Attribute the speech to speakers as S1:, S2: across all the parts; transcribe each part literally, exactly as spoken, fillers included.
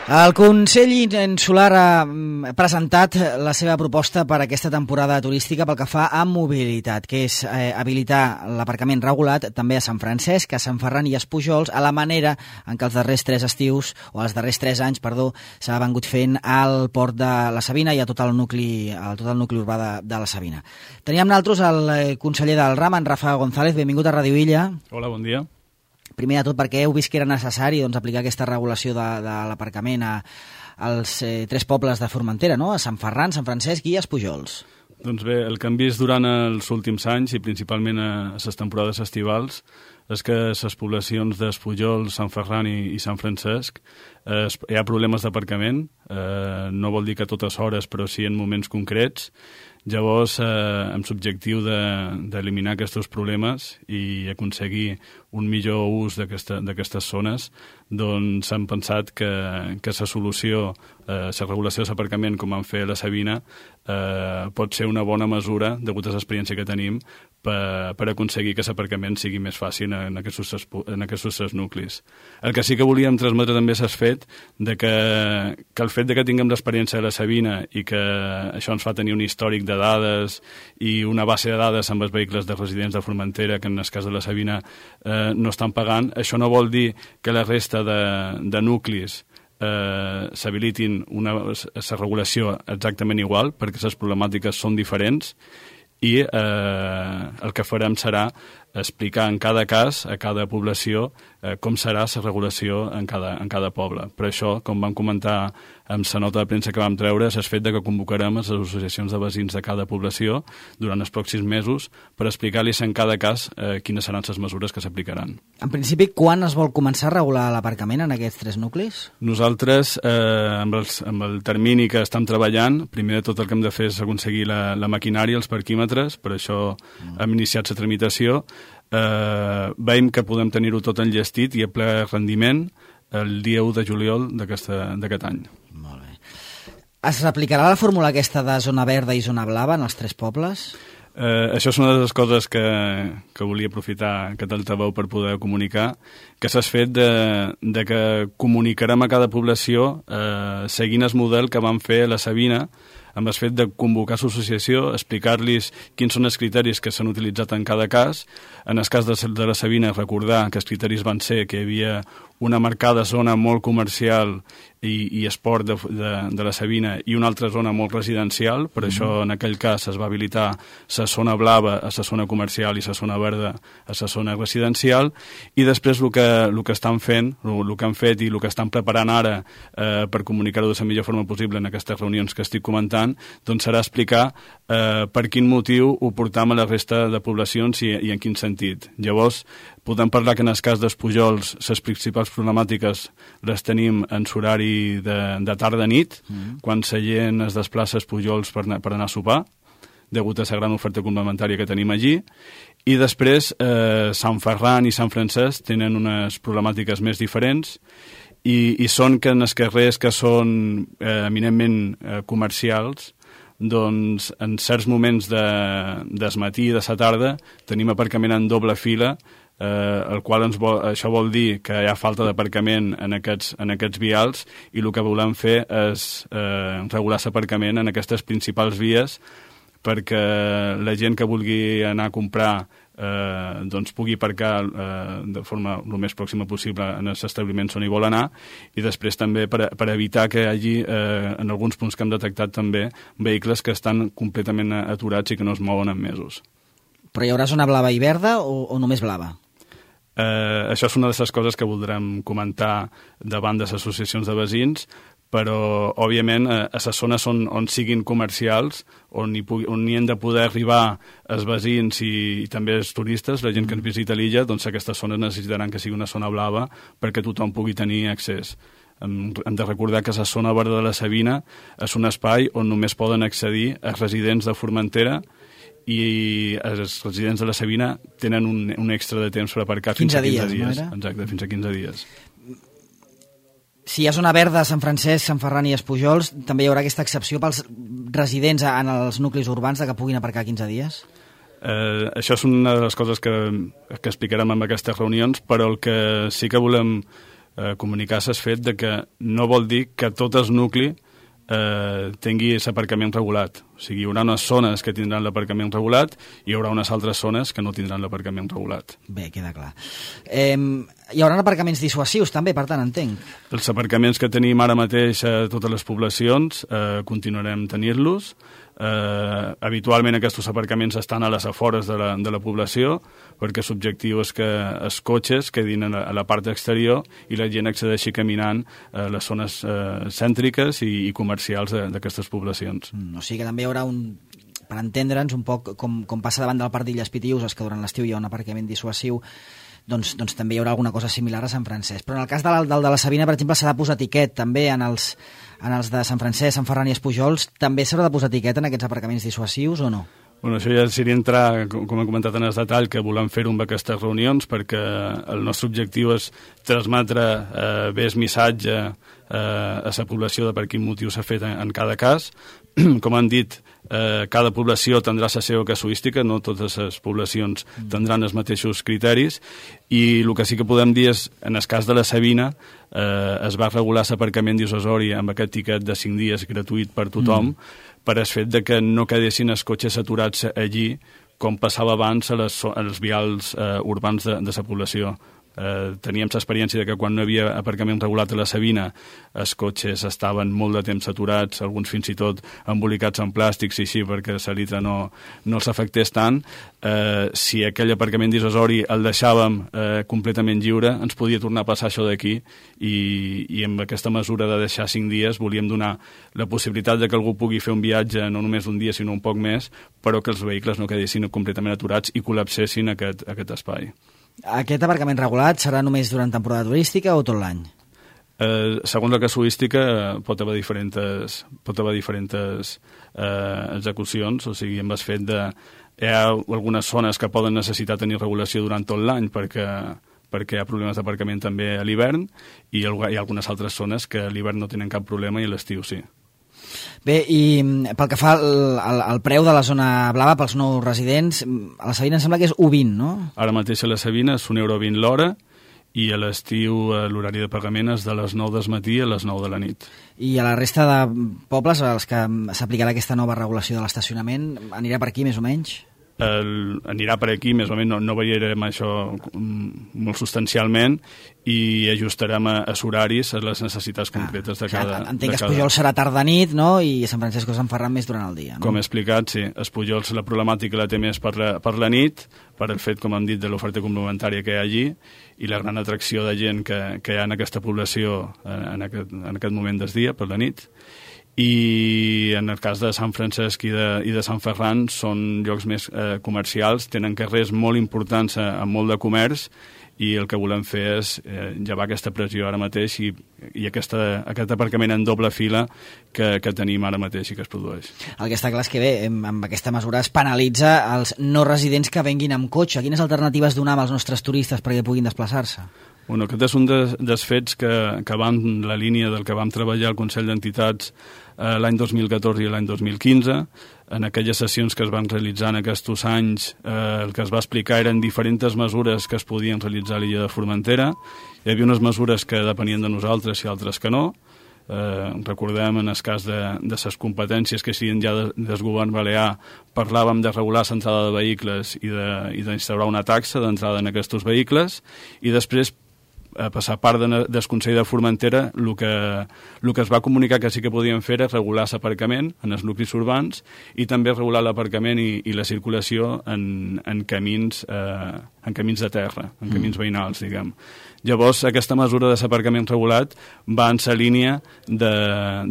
S1: El Consell Insular ha presentat la seva proposta per a aquesta temporada turística pel que fa a mobilitat, que és eh, habilitar l'aparcament regulat també a Sant Francesc, a Sant Ferran i a Espujols, a la manera en què els darrers tres estius, o els darrers tres anys, perdó, s'ha vengut fent al port de la Sabina i a tot el nucli, a tot el nucli urbà de, de la Sabina. Teníem nosaltres el conseller del RAM, en Rafa González. Benvingut a Ràdio Illa.
S2: Hola, bon dia.
S1: Primer de tot, perquè heu vist que era necessari doncs, aplicar aquesta regulació de, de l'aparcament a, als eh, tres pobles de Formentera, no? A Sant Ferran, Sant Francesc i a Espujols.
S2: Doncs bé, el que hem vist durant els últims anys, i principalment a les temporades estivals, és que a les poblacions d'Espujols, Sant Ferran i, i Sant Francesc eh, hi ha problemes d'aparcament, eh, no vol dir que a totes hores, però sí en moments concrets. Llavors, eh, amb l'objectiu d'eliminar de, aquests problemes i aconseguir un millor ús d'aquestes zones, doncs hem pensat que, que la solució, eh, la regulació de l'aparcament, com vam fer a la Sabina, eh, pot ser una bona mesura, degut a l'experiència que tenim, per, per aconseguir que l'aparcament sigui més fàcil en aquests, en aquests nuclis. El que sí que volíem transmetre també és el fet de que, que el fet de que tinguem l'experiència de la Sabina i que això ens fa tenir un històric de dades i una base de dades amb els vehicles de residents de Formentera, que en el cas de la Sabina eh, no estan pagant, això no vol dir que la resta de, de nuclis eh, s'habilitin una la regulació exactament igual, perquè les problemàtiques són diferents, i eh, el que farem serà explicar en cada cas, a cada població, eh, com serà la regulació en cada, en cada poble. Per això, com vam comentar amb la nota de premsa que vam treure, és el fet de que convocarem les associacions de veïns de cada població durant els pròxims mesos per explicar-los en cada cas eh, quines seran les mesures que s'aplicaran.
S1: En principi, quan es vol començar a regular l'aparcament en aquests tres nuclis?
S2: Nosaltres, eh, amb, els, amb el termini que estem treballant, primer de tot el que hem de fer és aconseguir la, la maquinària, els parquímetres, per això mm. hem iniciat la tramitació. Eh, veiem que podem tenir-ho tot enllestit i a ple rendiment el dia u de juliol d'aquest any.
S1: Molt bé. Es aplicarà la fórmula aquesta de zona verda i zona blava en els tres pobles?
S2: Eh, això és una de les coses que, que volia aprofitar que t'altaveu per poder comunicar, que s'ha fet de, de que comunicarem a cada població eh, seguint el model que vam fer a la Sabina, amb el fet de convocar l'associació, explicar-los quins són els criteris que s'han utilitzat en cada cas. En el cas de, de la Sabina, recordar que els criteris van ser que hi havia una marcada zona molt comercial i, i esport de, de, de la Sabina i una altra zona molt residencial. Per mm-hmm. això, en aquell cas, es va habilitar la zona blava a la zona comercial i la zona verda a la zona residencial. I després el que, el que estan fent, el, el que han fet i el que estan preparant ara eh, per comunicar-ho de la millor forma possible en aquestes reunions que estic comentant, doncs serà explicar eh, per quin motiu ho portam a la resta de poblacions i, i en quin sentit. Llavors, podem parlar que en el cas d'Espujols les principals problemàtiques les tenim en l'horari de, de tarda-nit, mm. quan la gent es desplaça a Espujols per, per anar a sopar, degut a la gran oferta complementària que tenim allí. I després, eh, Sant Ferran i Sant Francesc tenen unes problemàtiques més diferents, i, i són que en els carrers que són eh, eminentment eh, comercials, doncs en certs moments de, des matí i de la tarda tenim aparcament en doble fila, eh, el qual ens vol, això vol dir que hi ha falta d'aparcament en aquests, en aquests vials, i el que volem fer és eh, regular l'aparcament en aquestes principals vies perquè la gent que vulgui anar a comprar eh, doncs pugui aparcar eh, de forma el més pròxima possible en els establiments on hi vol anar, i després també per, per evitar que hi hagi eh, en alguns punts que hem detectat també vehicles que estan completament aturats i que no es mouen en mesos.
S1: Però hi haurà zona blava i verda o, o només blava?
S2: Eh, això és una de les coses que voldrem comentar davant de les associacions de veïns, però, òbviament, a les zones on, on siguin comercials, on hi, pugui, on hi han de poder arribar els veïns i, i també els turistes, la gent que ens visita l'illa, doncs aquestes zones necessitaran que sigui una zona blava perquè tothom pugui tenir accés. Hem, hem de recordar que la zona verda de la Sabina és un espai on només poden accedir els residents de Formentera, i els residents de la Sabina tenen un, un extra de temps per aparcar fins a quinze dies.
S1: No
S2: Exacte, fins a quinze dies.
S1: Si hi ha zona verda a Sant Francesc, Sant Ferran i Espujols, també hi haurà aquesta excepció pels residents en els nuclis urbans de que puguin aparcar quinze dies?
S2: Eh, això és una de les coses que, que explicarem en aquestes reunions, però el que sí que volem eh, comunicar s'ha fet de que no vol dir que tot el nucli eh, tingui l'aparcament regulat. O sigui, hi haurà unes zones que tindran l'aparcament regulat i hi haurà unes altres zones que no tindran l'aparcament regulat.
S1: Bé, queda clar. Eh, hi haurà aparcaments dissuasius també, per tant, entenc.
S2: Els aparcaments que tenim ara mateix a totes les poblacions eh, continuarem tenint-los. Eh, habitualment aquests aparcaments estan a les afores de la, de la població perquè l'objectiu és que els cotxes quedin a la, a la part exterior i la gent accedeixi caminant a les zones eh, cèntriques i, i comercials d'aquestes poblacions.
S1: Mm, o sigui que també hi haurà un, per entendre'ns un poc com, com passa davant del Parc d'Illes Pitiüses, que durant l'estiu hi ha un aparcament dissuasiu, doncs, doncs també hi haurà alguna cosa similar a Sant Francesc. Però en el cas de la, del de la Sabina, per exemple, s'ha de posar tiquet també en els, en els de Sant Francesc, Sant Ferran i Espujols. També s'haurà de posar tiquet en aquests aparcaments dissuasius o no?
S2: Bueno, això ja seria entrar, com he comentat en el detall, que volem fer-ho amb aquestes reunions perquè el nostre objectiu és transmetre eh, bé el missatge eh, a la població de per quin motiu s'ha fet en, en cada cas. Com han dit, eh, cada població tindrà la seva casuística, no totes les poblacions tindran els mateixos criteris, i el que sí que podem dir és, en el cas de la Sabina, eh, es va regular l'aparcament dissuasori amb aquest tiquet de cinc dies gratuït per tothom, mm. per el fet de que no quedessin els cotxes aturats allí com passava abans a les, als vials eh, urbans de, de la població. Eh, teníem l'experiència de que quan no hi havia aparcament regulat a la Sabina els cotxes estaven molt de temps aturats, alguns fins i tot embolicats en plàstics i així perquè la litra no, no els afectés tant. Eh, si aquell aparcament dissuasori el deixàvem eh, completament lliure, ens podia tornar a passar això d'aquí i, i amb aquesta mesura de deixar cinc dies volíem donar la possibilitat de que algú pugui fer un viatge no només un dia sinó un poc més, però que els vehicles no quedessin completament aturats i col·lapsessin aquest, aquest espai.
S1: Aquest aparcament regulat serà només durant temporada turística o tot l'any?
S2: Eh, segons la casuística pot haver diferents, pot haver diferents eh, execucions, o sigui, amb el fet de... Hi ha algunes zones que poden necessitar tenir regulació durant tot l'any perquè, perquè hi ha problemes d'aparcament també a l'hivern i hi ha algunes altres zones que a l'hivern no tenen cap problema i a l'estiu sí.
S1: Bé, i pel que fa al, al, al preu de la zona blava pels nous residents, a la Sabina em sembla que és u vint, no?
S2: Ara mateix a la Sabina és un euro vint l'hora i a l'estiu l'horari de pagament és de les nou del matí a les nou de la nit.
S1: I a la resta de pobles als que s'aplicarà aquesta nova regulació de l'estacionament, anirà per aquí més o menys?
S2: El, anirà per aquí, més o menys no, no variarem això molt substancialment i ajustarem a, a horaris a les necessitats concretes de cada...
S1: Ah, entenc que Espujol serà tarda-nit, no?, i Sant Francesc o Sant Ferran més durant el dia, no?
S2: Com he explicat, sí. Espujol la problemàtica la té més per la, per la nit, per el fet, com hem dit, de l'oferta complementària que hi ha allí i la gran atracció de gent que, que hi ha en aquesta població en, en, aquest, en aquest moment del dia, per la nit. I en el cas de Sant Francesc i de, i de Sant Ferran són llocs més eh, comercials, tenen carrers molt importants eh, amb molt de comerç i el que volem fer és eh, llevar aquesta pressió ara mateix i, i aquesta, aquest aparcament en doble fila que, que tenim ara mateix i que es produeix.
S1: El que està clar és que bé, amb aquesta mesura es penalitza els no residents que venguin amb cotxe. Quines alternatives donem als nostres turistes perquè puguin desplaçar-se?
S2: Bueno, aquest és un dels, dels fets que, que va en la línia del que vam treballar al Consell d'Entitats eh, l'any dos mil catorze i l'any dos mil quinze. En aquelles sessions que es van realitzar en aquests anys, eh, el que es va explicar eren diferents mesures que es podien realitzar a l'illa de Formentera. Hi havia unes mesures que depenien de nosaltres i altres que no. Eh, recordem en el cas de, de les competències que siguin ja de, del govern balear, parlàvem de regular l'entrada de vehicles i d'instaurar una taxa d'entrada en aquests vehicles i després a passar part de, del Consell de Formentera el que, el que es va comunicar que sí que podien fer és regular l'aparcament en els nuclis urbans i també regular l'aparcament i, i la circulació en, en, camins, eh, en camins de terra, en camins mm. veïnals, diguem. Llavors, aquesta mesura de l'aparcament regulat va en la línia de,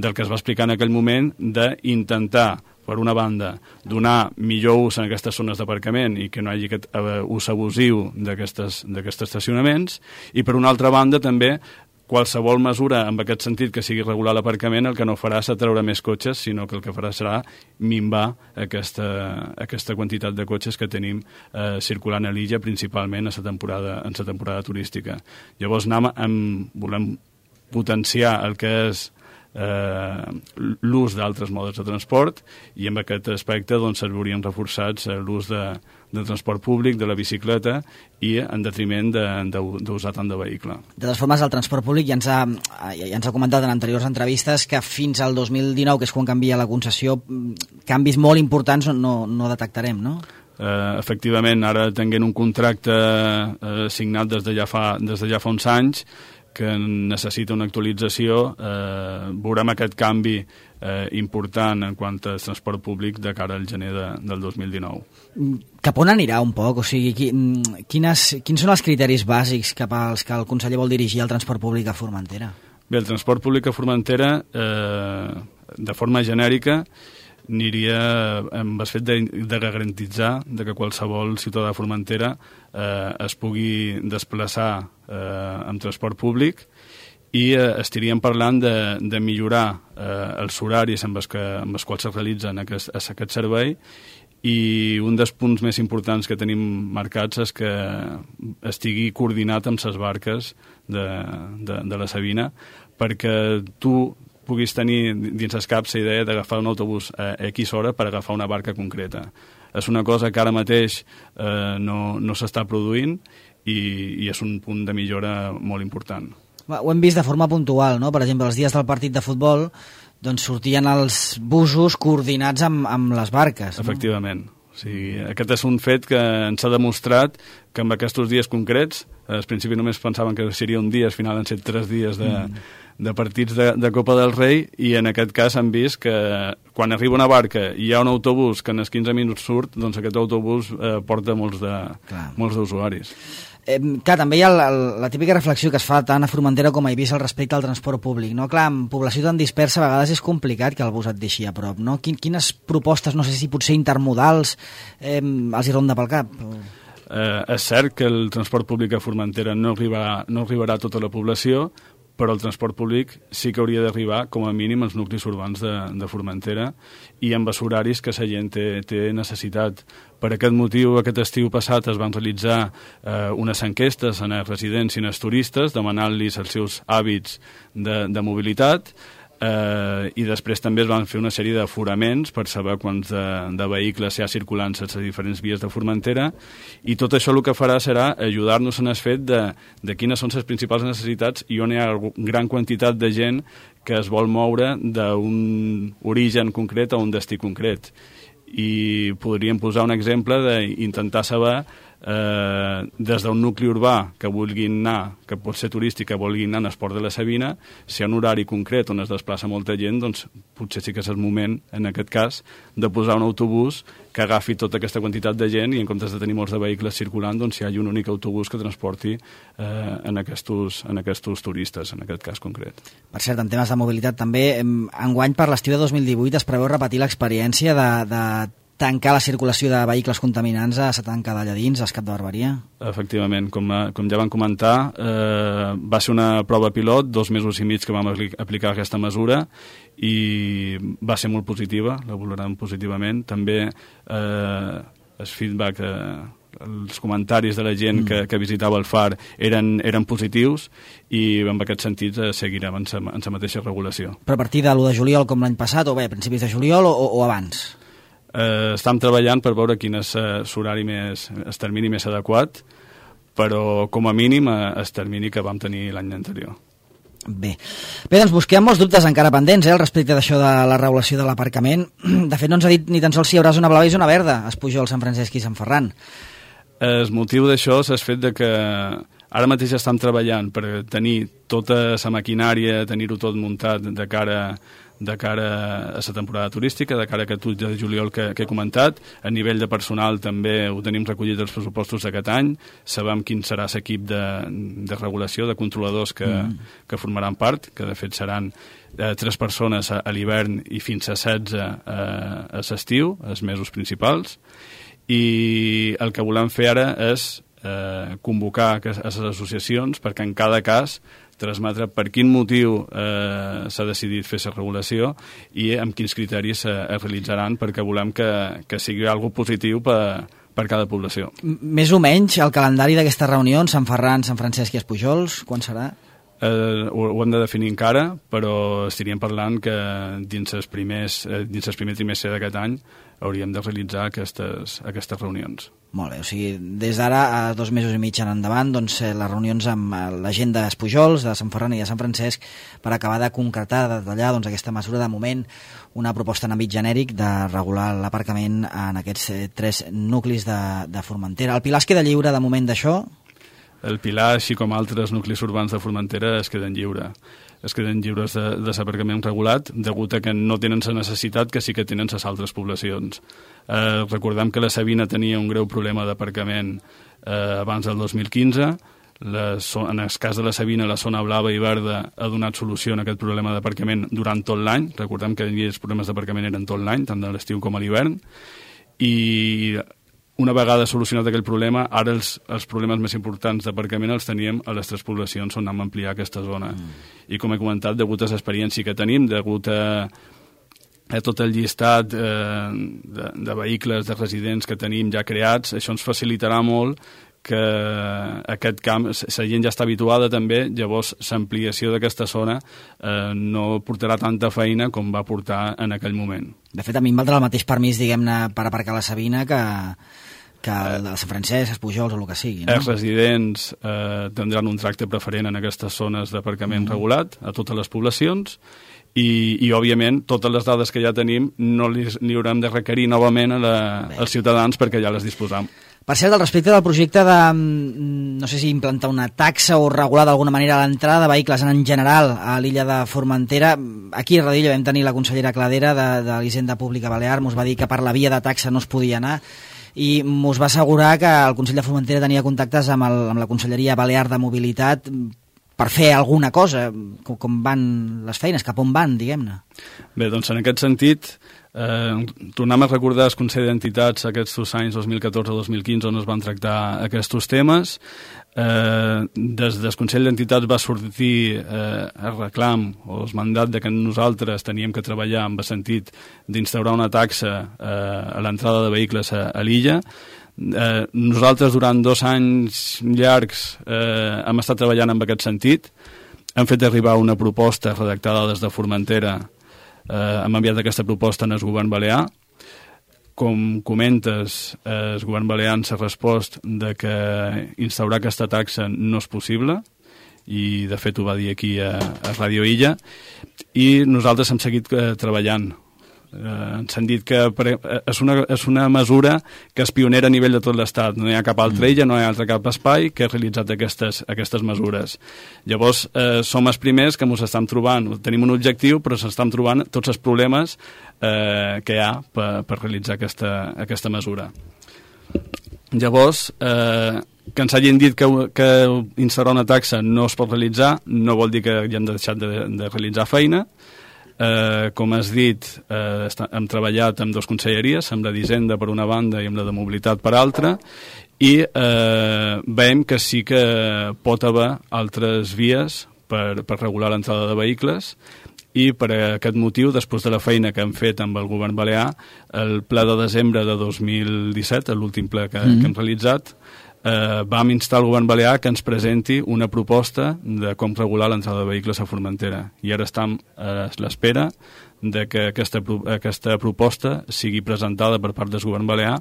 S2: del que es va explicar en aquell moment d'intentar per una banda, donar millor ús en aquestes zones d'aparcament i que no hi hagi aquest ús abusiu d'aquests estacionaments, i per una altra banda també qualsevol mesura en aquest sentit que sigui regular l'aparcament el que no farà és treure més cotxes, sinó que el que farà serà minvar aquesta, aquesta quantitat de cotxes que tenim eh, circulant a l'illa, principalment en la temporada, en la temporada turística. Llavors anem, amb, volem potenciar el que és Eh, l'ús d'altres modes de transport i en aquest aspecte doncs, servirien reforçats eh, l'ús de, de transport públic, de la bicicleta, i en detriment d'usar tant de vehicle.
S1: De totes formes, el transport públic ja ens, ha, ja ens ha comentat en anteriors entrevistes que fins al dos mil dinou, que és quan canvia la concessió, canvis molt importants no, no detectarem, no?
S2: Uh, efectivament, ara tenint un contracte uh, signat des de ja fa, des de ja fa uns anys, que necessita una actualització, eh, veurem aquest canvi eh, important en quant a transport públic de cara al gener de, del dos mil dinou.
S1: Cap on anirà un poc? O sigui, quines, quins són els criteris bàsics cap als que el conseller vol dirigir el transport públic a Formentera?
S2: Bé, el transport públic a Formentera, eh, de forma genèrica, aniria amb el fet de, de garantitzar de que qualsevol ciutadà de Formentera eh, es pugui desplaçar eh, amb transport públic i eh, estaríem parlant de, de millorar eh, els horaris amb els, que, amb els quals es realitza aquest, aquest servei, i un dels punts més importants que tenim marcats és que estigui coordinat amb les barques de, de, de la Sabina, perquè tu puguis tenir dins el cap la idea d'agafar un autobús a X hora per agafar una barca concreta. És una cosa que ara mateix eh, no, no s'està produint i, i és un punt de millora molt important.
S1: Ho hem vist de forma puntual, no? Per exemple, els dies del partit de futbol doncs sortien els busos coordinats amb, amb les barques. No?
S2: Efectivament. O sigui, aquest és un fet que ens ha demostrat que amb aquests dies concrets, al principi només pensaven que seria un dia, al final han set tres dies de, mm. de partits de, de Copa del Rei, i en aquest cas han vist que quan arriba una barca i hi ha un autobús que en els quinze minuts surt, doncs aquest autobús eh, porta molts de, molts d'usuaris.
S1: Eh, clar, també hi ha la, la típica reflexió que es fa tant a Formentera com a Eivissa al respecte al transport públic, no? Clar, amb població tan dispersa a vegades és complicat que el bus et deixi a prop, no? Quin, quines propostes, no sé si potser intermodals, eh, els hi ronda pel cap?
S2: Eh, és cert que el transport públic a Formentera no arribarà, no arribarà a tota la població, però el transport públic sí que hauria d'arribar com a mínim als nuclis urbans de, de Formentera i amb els horaris que la gent té, té necessitat. Per aquest motiu, aquest estiu passat es van realitzar eh, unes enquestes en els residents i en els turistes, demanant-los els seus hàbits de, de mobilitat, eh, i després també es van fer una sèrie d'aforaments per saber quants de, de vehicles hi ha circulant a les diferents vies de Formentera, i tot això el que farà serà ajudar-nos en el fet de, de quines són les principals necessitats i on hi ha gran quantitat de gent que es vol moure d'un origen concret a un destí concret. I podríem posar un exemple d'intentar saber eh, des d'un nucli urbà que vulguin anar, que pot ser turístic, que vulguin anar a Esport de la Sabina, si hi ha un horari concret on es desplaça molta gent, doncs potser sí que és el moment, en aquest cas, de posar un autobús que agafi tota aquesta quantitat de gent i en comptes de tenir molts de vehicles circulant, doncs hi hagi un únic autobús que transporti eh, en, aquestos, en aquestos turistes, en aquest cas concret.
S1: Per cert, en temes de mobilitat també, enguany per l'estiu de dos mil divuit es preveu repetir l'experiència de, de tancar la circulació de vehicles contaminants a la tanca d'allà dins, a Escap de Barberia?
S2: Efectivament, com, com ja vam comentar, eh, va ser una prova pilot, dos mesos i mig que vam aplicar aquesta mesura, i va ser molt positiva, la valorem positivament. També eh, el feedback, eh, els comentaris de la gent mm. que, que visitava el far eren, eren positius, i en aquest sentit eh, seguirem en la mateixa regulació.
S1: Però a partir de l'u de juliol, com l'any passat, o bé, a principis de juliol, o, o abans?
S2: Eh, estem treballant per veure quin és l'horari més, el termini més adequat, però com a mínim el termini que vam tenir l'any anterior.
S1: Bé. Bé, doncs busquem molts dubtes encara pendents, eh, al respecte d'això de la regulació de l'aparcament. De fet, no ens ha dit ni tan sols si hi haurà zona blava i zona verda, es Pujol, Sant Francesc i Sant Ferran.
S2: El motiu d'això és el fet de que ara mateix estem treballant per tenir tota la maquinària, tenir-ho tot muntat de cara de cara a la temporada turística, de cara a aquest u de juliol que, que he comentat. A nivell de personal també ho tenim recollit als pressupostos d'aquest any, sabem quin serà l'equip de, de regulació, de controladors que, mm. que formaran part, que de fet seran eh, tres persones a, a l'hivern i fins a setze a, a l'estiu, els mesos principals, i el que volem fer ara és eh, convocar a les associacions perquè en cada cas transmetre per quin motiu eh, s'ha decidit fer la regulació i amb quins criteris eh, es realitzaran, perquè volem que, que sigui algo positiu per, per cada població.
S1: Més o menys el calendari d'aquestes reunions, Sant Ferran, Sant Francesc i Espujols, quan serà?
S2: eh, ho, ho hem de definir encara, però estaríem parlant que dins els primers, eh, dins el primer trimestre d'aquest any hauríem de realitzar aquestes, aquestes reunions.
S1: Molt bé, o sigui, des d'ara a dos mesos i mig en endavant, doncs, les reunions amb la gent d'Espujols, de Sant Ferran i de Sant Francesc, per acabar de concretar, de detallar doncs, aquesta mesura de moment, una proposta en àmbit genèric de regular l'aparcament en aquests eh, tres nuclis de, de Formentera. El Pilar es queda lliure de moment d'això?
S2: El Pilar, així com altres nuclis urbans de Formentera, es queden lliure. es queden lliures de, de l'aparcament regulat, degut a que no tenen la necessitat que sí que tenen les altres poblacions. Eh, recordem que la Sabina tenia un greu problema d'aparcament eh, abans del dos mil quinze. La, en el cas de la Sabina, la zona blava i verda ha donat solució a aquest problema d'aparcament durant tot l'any. Recordem que els problemes d'aparcament eren tot l'any, tant de l'estiu com a l'hivern. I una vegada solucionat aquell problema, ara els, els problemes més importants d'aparcament els teníem a les tres poblacions on vam ampliar aquesta zona. Mm. I com he comentat, degut a l'experiència que tenim, degut a, a tot el llistat eh, de, de vehicles, de residents que tenim ja creats, això ens facilitarà molt que aquest camp, la gent ja està habituada també, llavors l'ampliació d'aquesta zona eh, no portarà tanta feina com va portar en aquell moment.
S1: De fet, a mi em valdrà el mateix permís, diguem-ne, per aparcar la Sabina que, que el de Sant Francesc, Espujols o el que sigui, no?
S2: Els residents eh, tindran un tracte preferent en aquestes zones d'aparcament mm. regulat a totes les poblacions i, i òbviament, totes les dades que ja tenim no li, li haurem de requerir novament a la, als ciutadans perquè ja les disposam.
S1: Per cert, al respecte del projecte de, no sé si implantar una taxa o regular d'alguna manera l'entrada de vehicles en general a l'illa de Formentera, aquí a Radilla vam tenir la consellera Cladera de, de l'Hisenda Pública Balear, mos va dir que per la via de taxa no es podia anar i mos va assegurar que el Consell de Formentera tenia contactes amb, el, amb la Conselleria Balear de Mobilitat per fer alguna cosa, com, com van les feines, cap on van, diguem-ne.
S2: Bé, doncs en aquest sentit, Eh, tornem a recordar el Consell d'Entitats aquests dos anys, dos mil catorze a dos mil quinze, on es van tractar aquests temes. Eh, des del Consell d'Entitats va sortir eh, el reclam o el mandat de que nosaltres teníem que treballar en el sentit d'instaurar una taxa eh, a l'entrada de vehicles a, a l'illa. Eh, nosaltres durant dos anys llargs eh, hem estat treballant en aquest sentit. Hem fet arribar una proposta redactada des de Formentera. Eh, hem enviat aquesta proposta al govern balear. Com comentes, eh, el govern balear ens ha respost de que instaurar aquesta taxa no és possible i de fet ho va dir aquí a, a Ràdio Illa i nosaltres hem seguit eh, treballant. Eh, ens han dit que és una, és una mesura que és pionera a nivell de tot l'Estat. No hi ha cap altra illa, no hi ha altre cap espai que ha realitzat aquestes, aquestes mesures. Llavors, eh, som els primers que ens estem trobant, tenim un objectiu, però s'estan trobant tots els problemes eh, que hi ha per, per realitzar aquesta, aquesta mesura. Llavors, eh, que ens hagin dit que, que instaurar una taxa no es pot realitzar no vol dir que ja hem deixat de, de realitzar feina. Eh, com has dit, eh, hem treballat amb dues conselleries, amb la d'Hisenda per una banda i amb la de Mobilitat per altra, i eh, veiem que sí que pot haver altres vies per, per regular l'entrada de vehicles i per aquest motiu, després de la feina que hem fet amb el govern balear, el ple de desembre de dos mil disset, l'últim ple que, mm-hmm. que hem realitzat, Eh, vam instar el govern balear que ens presenti una proposta de com regular l'entrada de vehicles a Formentera i ara estem a l'espera de que aquesta, aquesta proposta sigui presentada per part del govern balear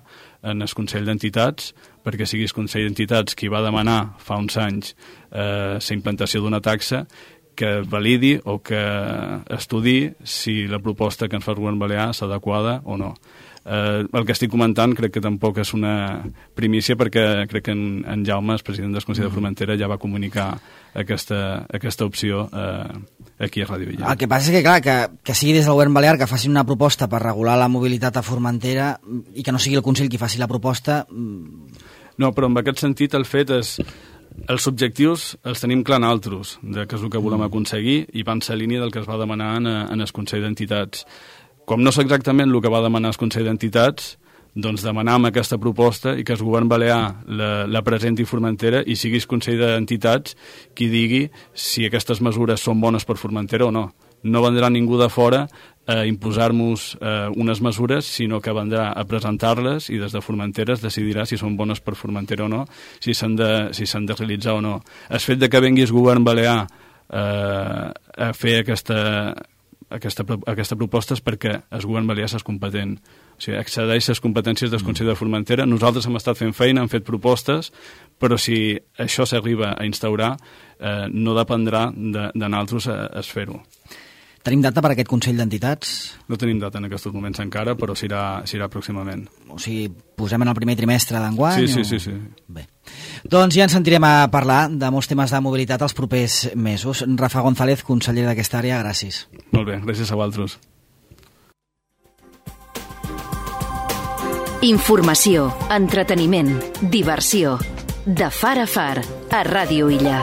S2: en el Consell d'Entitats perquè sigui el Consell d'Entitats qui va demanar fa uns anys eh, la implantació d'una taxa que validi o que estudi si la proposta que ens fa el govern balear és adequada o no. Eh, el que estic comentant crec que tampoc és una primícia perquè crec que en, en Jaume, el president del Consell de Formentera, ja va comunicar aquesta, aquesta opció eh, aquí a Ràdio Illa.
S1: El que passa és que, clar, que, que sigui des del govern balear que facin una proposta per regular la mobilitat a Formentera i que no sigui el Consell qui faci la proposta...
S2: No, però en aquest sentit el fet és... Els objectius els tenim clar altres, de què és el que volem aconseguir i van ser a línia del que es va demanar en, en el Consell d'Entitats. Com no és exactament el que va demanar el Consell d'Entitats, doncs demanam aquesta proposta i que el govern balear la, la presenti Formentera i sigui el Consell d'Entitats qui digui si aquestes mesures són bones per Formentera o no. No vendrà ningú de fora a imposar-nos eh, unes mesures, sinó que vendrà a presentar-les i des de Formentera es decidirà si són bones per Formentera o no, si s'han de, si s'han de realitzar o no. El fet de que vengui el govern balear eh, a fer aquesta, aquesta, aquesta proposta és perquè el govern balear és competent. O sigui, excedeix les competències del Consell de Formentera. Nosaltres hem estat fent feina, hem fet propostes, però si això s'arriba a instaurar, eh, no dependrà de, de nosaltres a, a fer-ho.
S1: Tenim data per aquest Consell d'Entitats?
S2: No tenim data en aquests moments encara, però s'irà pròximament.
S1: O sigui, posem en el primer trimestre d'enguany?
S2: Sí, sí,
S1: o...
S2: sí, sí.
S1: Bé. Doncs ja ens sentirem a parlar de molts temes de mobilitat els propers mesos. Rafa González, conseller d'aquesta àrea, gràcies.
S2: Molt bé, gràcies a vosaltres.
S3: Informació, entreteniment, diversió. De far a far, a Ràdio Illa.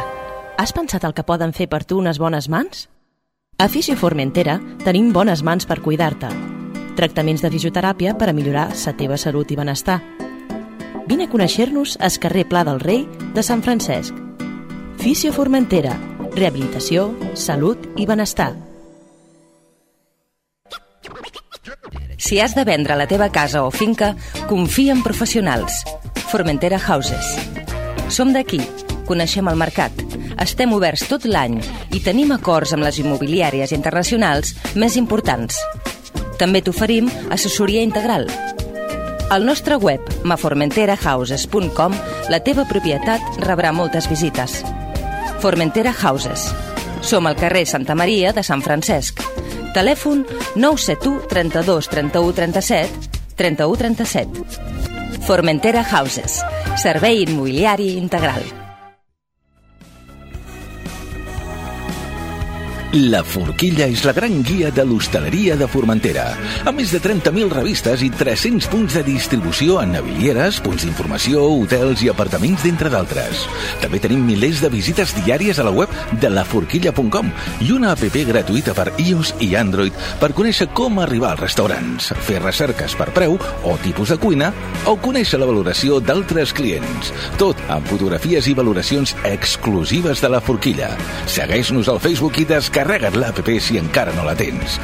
S4: Has pensat el que poden fer per tu unes bones mans? A Fisio Formentera tenim bones mans per cuidar-te. Tractaments de fisioteràpia per a millorar la teva salut i benestar. Vine a conèixer-nos al carrer Pla del Rei de Sant Francesc. Fisio Formentera. Rehabilitació, salut i benestar.
S5: Si has de vendre la teva casa o finca, confia en professionals. Formentera Houses. Som d'aquí, coneixem el mercat, estem oberts tot l'any i tenim acords amb les immobiliàries internacionals més importants. També t'oferim assessoria integral. Al nostre web, ma formentera houses punt com, la teva propietat rebrà moltes visites. Formentera Houses. Som al carrer Santa Maria de Sant Francesc. Telèfon nou set u, trenta-dos, trenta-u, trenta-set, trenta-u, trenta-set. Formentera Houses. Servei immobiliari integral.
S6: La Forquilla és la gran guia de l'hostaleria de Formentera, amb més de trenta mil revistes i tres-cents punts de distribució en navilieres, punts d'informació, hotels i apartaments, d'entre d'altres. També tenim milers de visites diàries a la web de la forquilla punt com i una app gratuïta per iOS i Android per conèixer com arribar als restaurants, fer recerques per preu o tipus de cuina o conèixer la valoració d'altres clients. Tot amb fotografies i valoracions exclusives de la Forquilla. Segueix-nos al Facebook i descarrega't Carrega't l'app si encara no la tens.